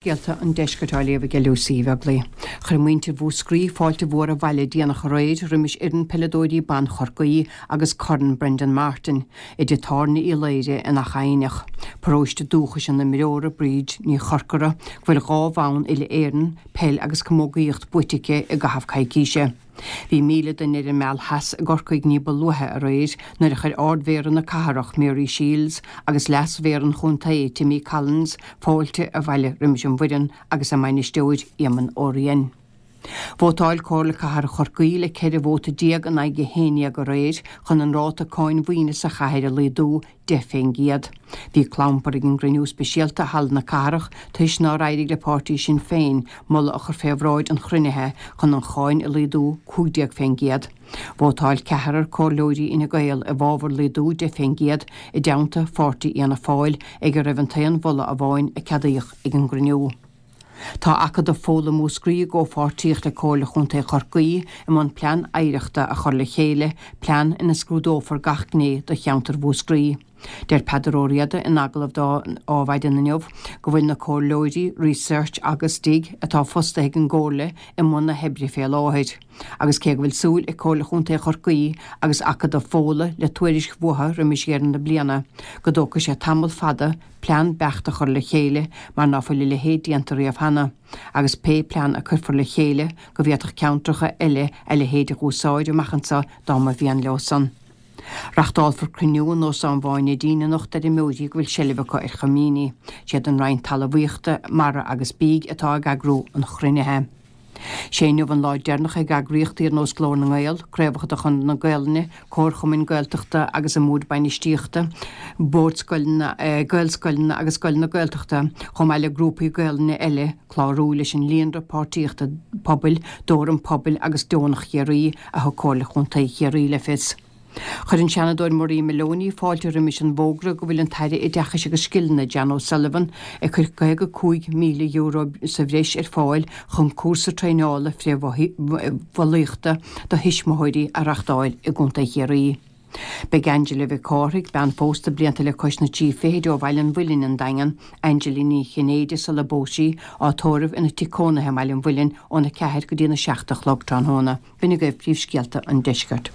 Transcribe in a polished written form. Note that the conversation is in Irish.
Scéalta an Deiscirt á léamh aige Lucy Uí Bheaglaoi. Chuir muintir Mhúscraí fáilte mhór abhaile déanach aréir roimis fhoireann peileadóirí ban Chorcaí agus Corn Brendan Martin i dtigh tábhairne Uí Laoire in Achadh Eidhneach, paróiste dúchais an imreora Bríd Ní Chorcora, go bhfuil 2 bhonn uile-Éireann, peil agus camógaíocht, buaite aici i gcaitheamh coicíse. Bhí 1,000 duine ar an Meal Theas i gCorcaigh ní ba luaithe aréir nuair a chuir Ard-Mhéara na cathrach, Mary Shiels, agus Leas-Mhéara an chontae, Timmy Collins, fáilte abhaile roimis an bhfoireann agus a mbainisteoir, Éamonn Ó Riain. Vótáil Comhairle Cathrach Chorcaí le 14 vóta in aghaidh 11 aréir chun an ráta cáin mhaoine sa chathair a laghdú 10%. Bhí clampar ag an gcruinniú speisialta i Halla na Cathrach toisc nár éirigh le páirtí Shinn Féin moladh a chur fé bhráid an chruinnithe chun an cháin a laghdú 15%. Vótáil ceathrar comhairleoirí Fhine Gael i bhfabhar laghdú 10% i dteannta pháirtí Fhianna Fáil ag a raibh an t-aon mholadh amháin a ceadaíodh ag an gcruinniú. Tá Acadamh Fódhla Mhúscraí i gcomhpháirtíocht le Comhairle Chontae Chorcaí i mbun plean oidhreachta a chur le chéile, plean ina scrúdófar gach gné de cheantar Mhúscraí. Deir Peadar Ó Riada in agallamh do Adhmhaidin inniu go bhfuil na comhairleoirí Research agus Dig atá fostaithe ag an gComhairle i mbun na hoibre fé láthair. Agus cé go bhfuil súil ag Comhairle Chontae Chorcaí agus Acadamh Fódhla le tuairisc uathu roimis dheireadh na bliana go dtógfaidh sé tamall fada plean beacht a chur le chéile mar ná fuil a leithéid déanta riamh cheana, agus pé plean a cuirfear le chéile go bhféadfadh ceantracha eile a leithéid a dh'úsáid amach anso dá mba mhian leo san. Reachtálfar cruinniú in Óstán Bhá Neidín anocht d'fheirmeoirí go bhfuil seilbh acu ar choimíní. Siad an Roinn Talmhaíochta, Mara agus Bídh atá ag eagrú an chruinnithe. Sé inniu an lá deireanach ag eagraíochtaí ar nós Glór na nGael, craobhacha de Chonradh na Gaelainne, comharchumainn Gaeltachta agus a mBoird Bainistíochta, Boird Scoileanna, Gaelscoileanna agus Scoileanna Gaeltachta, chomh maith le grúpaí Gaelainne eile, clárú leis an Líonra Páirtíochta Pobail d'Fhóram Pobail agus Deonach Chiarraí a thug Comhairle Chontae Chiarraí le fios. Chuir an Seanadóir Marie Moloney fáilte roimis an bhfógra go bhfuil an tAire Oideachais agus Scileanna, Jan O'Sullivan, ag cur €55,000 sa bhreis ar fáil chun cúrsa traenála frithbhulaíochta do thuismitheoirí a reachtáil i gContae Chiarraí. Beidh Angela Mhic Cárthaigh, bean phósta blianta le cois na trí fichid ó Bhaile an Mhuilinn, an Daingean, Angela Ní Chinnéide sula bpós sí, á tórramh ina tigh cónaithe i mBaile an Mhuilinn óna 4 go dtína 7 a chlog tráthnóna. B'in agaibh príomhscéalta an deiscirt.